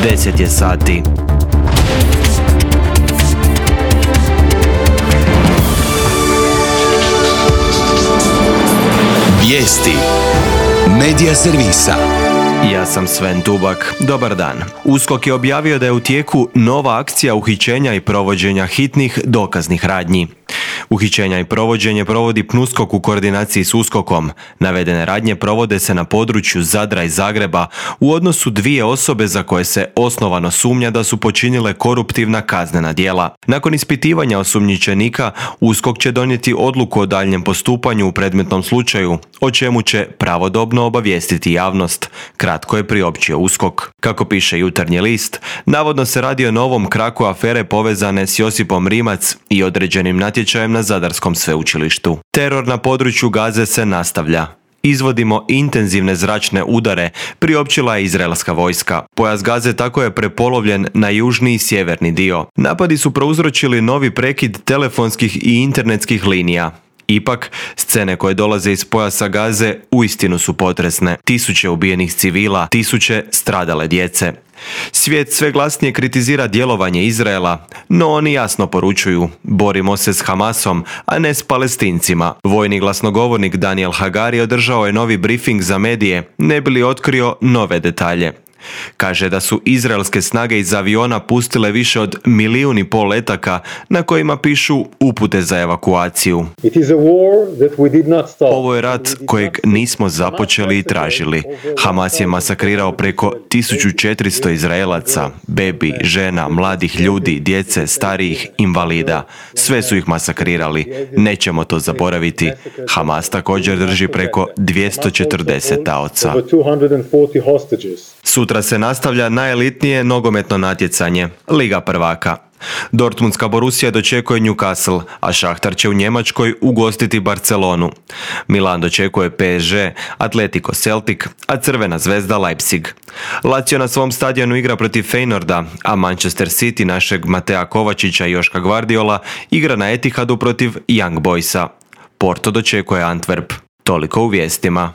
10 je sati. Vijesti Medija servisa. Ja sam Sven Tubak. Dobar dan. USKOK je objavio da je u tijeku nova akcija uhićenja i provođenja hitnih dokaznih radnji. Uhićenja i provođenje provodi PNUSKOK u koordinaciji s USKOK-om. Navedene radnje provode se na području Zadra i Zagreba u odnosu dvije osobe za koje se osnovano sumnja da su počinile koruptivna kaznena djela. Nakon ispitivanja osumnjičenika, USKOK će donijeti odluku o daljnjem postupanju u predmetnom slučaju, o čemu će pravodobno obavijestiti javnost, kratko je priopćio USKOK. Kako piše Jutarnji list, navodno se radi o novom kraku afere povezane s Josipom Rimac i određenim natječajem na Zadarskom sveučilištu. Teror na području Gaze se nastavlja. Izvodimo intenzivne zračne udare, priopćila je izraelska vojska. Pojas Gaze tako je prepolovljen na južni i sjeverni dio. Napadi su prouzročili novi prekid telefonskih i internetskih linija. Ipak, scene koje dolaze iz pojasa Gaze uistinu su potresne. Tisuće ubijenih civila, tisuće stradale djece. Svijet sve glasnije kritizira djelovanje Izraela, no oni jasno poručuju: borimo se s Hamasom, a ne s Palestincima. Vojni glasnogovornik Daniel Hagari održao je novi brifing za medije, ne bi li otkrio nove detalje. Kaže da su izraelske snage iz aviona pustile više od 1,5 milijuna letaka na kojima pišu upute za evakuaciju. Ovo je rat kojeg nismo započeli i tražili. Hamas je masakrirao preko 1400 Izraelaca, bebi, žena, mladih ljudi, djece, starijih, invalida. Sve su ih masakrirali. Nećemo to zaboraviti. Hamas također drži preko 240 taoca. Sutra se nastavlja najelitnije nogometno natjecanje, Liga prvaka. Dortmundska Borussia dočekuje Newcastle, a Šahtar će u Njemačkoj ugostiti Barcelonu. Milan dočekuje PSG, Atletico Celtic, a Crvena zvezda Leipzig. Lazio na svom stadionu igra protiv Feynorda, a Manchester City našeg Matea Kovačića i Joška Gvardiola igra na Etihadu protiv Young Boysa. Porto dočekuje Antwerp. Toliko u vijestima.